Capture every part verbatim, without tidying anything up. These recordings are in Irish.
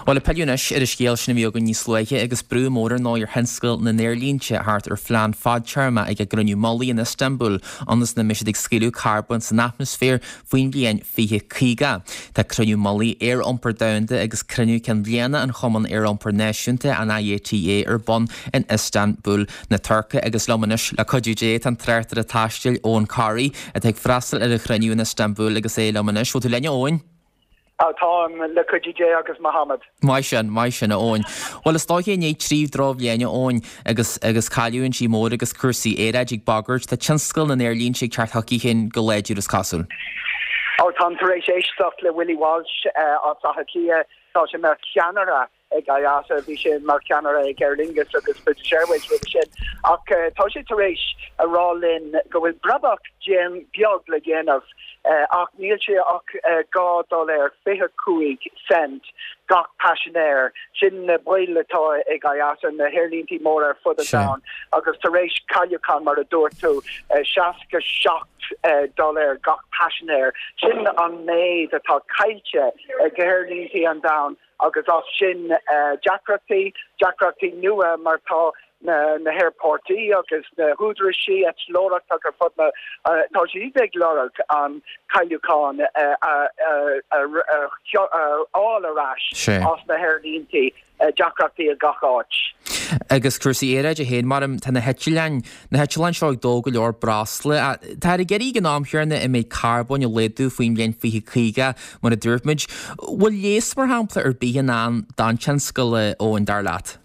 Bhuel, ag pilleadh anois ar an scéal sin a bhí againn níos luaithe agus brú mór ar ndóigh ar thionscal na n-aerlínte thart ar phlean fadtéarma ag an gcruinniú mullaigh in Istanbul ionas nach mbeidh siad ag scaoileadh carbóin san atmaisféar faoin bhliain fiche caoga. Tá cruinniú mullaigh aeriompair domhanda agus cruinniú cinn bhliana an Chumann Aeriompair Náisiúnta, an I A T A, ar bun in Istanbul na Tuirce agus liom anois le cuidiú Dé tá an tráchtaire taistil Eoin Corry atá ag freastal ar an chruinniú in Istanbul agus é liom anois. Bhfuil tú linn, Eoin? Táim le cuidiú Dé agus Mohammed. Maith sin, maith sin, Eoin. Well is dóiche i ndiaidh trí dhrochbhliain, Eoin, agus agus cailliúintí mór agus cúrsaí aeráide ag bagairt, tá tionscal na n-aerlínte ag teacht chucu féin go láidir, is cosúil. Ó táim tar éis éisteacht le Willie Walsh uh, as Átha Cliath. Tá sé mar cheannaire ag I A T A, bhí sé mar cheannaire ag Aer Lingus agus British Airways roimhe sin ach uh, tá sé tar éis a rá linn go bhfuil brabach beag le déanamh uh, ach níl sé ach uh, dhá dollar fiche cúig cent gach paisinéir. Sin na baill atá ag I A T A, na haerlíntí mór ar fud an domhain, agus tar éis cailliúchán, mar a dúirt tú, uh, seasca seacht uh, dollar gach paisinéir, sin an méid atá caillte ag aerlíntí an domhain. Agus as sin uh, deacrachtaí deacrachtaí nua mar tá na na haerfoirt agus na húdaráis eitleoireachta ar fud na uh, tá siad ag lorg an cailliúchán fháil ar ais as na haerlíntí, deacrachtaí a gach áit. Agus cúrsaí aeráide féin mar tá na heitleáin na heitleáin seo ag dó go leor breosla. Tá ag éirí an am chéanna i méid carbóin a laghdú faoin bhliain fiche caoga mar a dúirt muid. Bhfuil leigheas mar shampla ar bith ann don tionscal, Eoin, dar leat?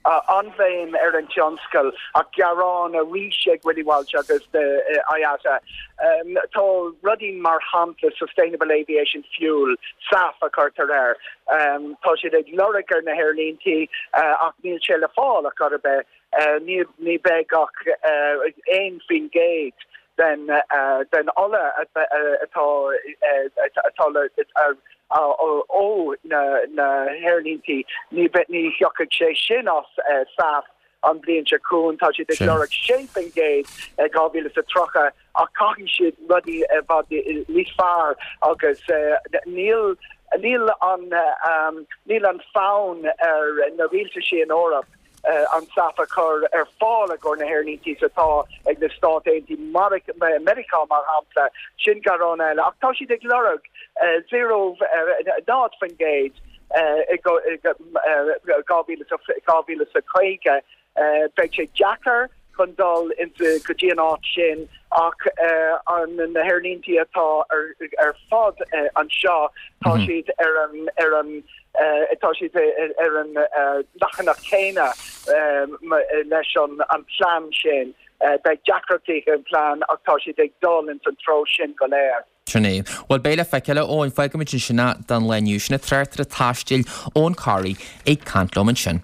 uh, an-bhéim ar an tionscal ach gearán arís ag Willie Walsh agus the uh, I A T A. Um, tá rudaí mar shampla Sustainable Aviation Fuel, SAF a chuirtear air. Um, tá siad ag lorg ar na haerlíntí uh, ach níl sé le fáil a chor ar bith uh, ní, ní bheidh ach uh, aon faoin gcéad den uh, den ola atá atá ó na na haerlíntí, ní ní thiocfaidh sé sin as uh, SAF an bhliain seo chugainn. Tá siad ag lorg sé faoin gcéad dhá mhíle is tríocha ach caithfidh siad rudaí bhfad níos fearr agus uh, níl níl an um, níl an fonn ar na rialtais in Eoraip uh, an SAF a chur ar fáil go na haerlíntí atá ag na Stáit Aontaithe Meiriceá mar shampla. Sin gearán eile ach tá siad ag lorg uh, zero náid faoin gcéad dhá mhíle is caoga. Beidh sé deacair chun dul go dtí an áit sin ach uh, an na haerlíntí atá ar, ar fad uh, anseo, tá mm -hmm. siad ar an ar an uh, tá siad ar an uh, leathanach céanna um, leis an an plan sin. uh, beidh deacrachtaí an plan ach tá siad ag dul in san treo sin go léir. Sin é. Well, beidh le feiceáil, Eoin. Fágfaimid sin don lá inniu. Sin tráchtaire taistil Eoin Corry ag caint liom ansin.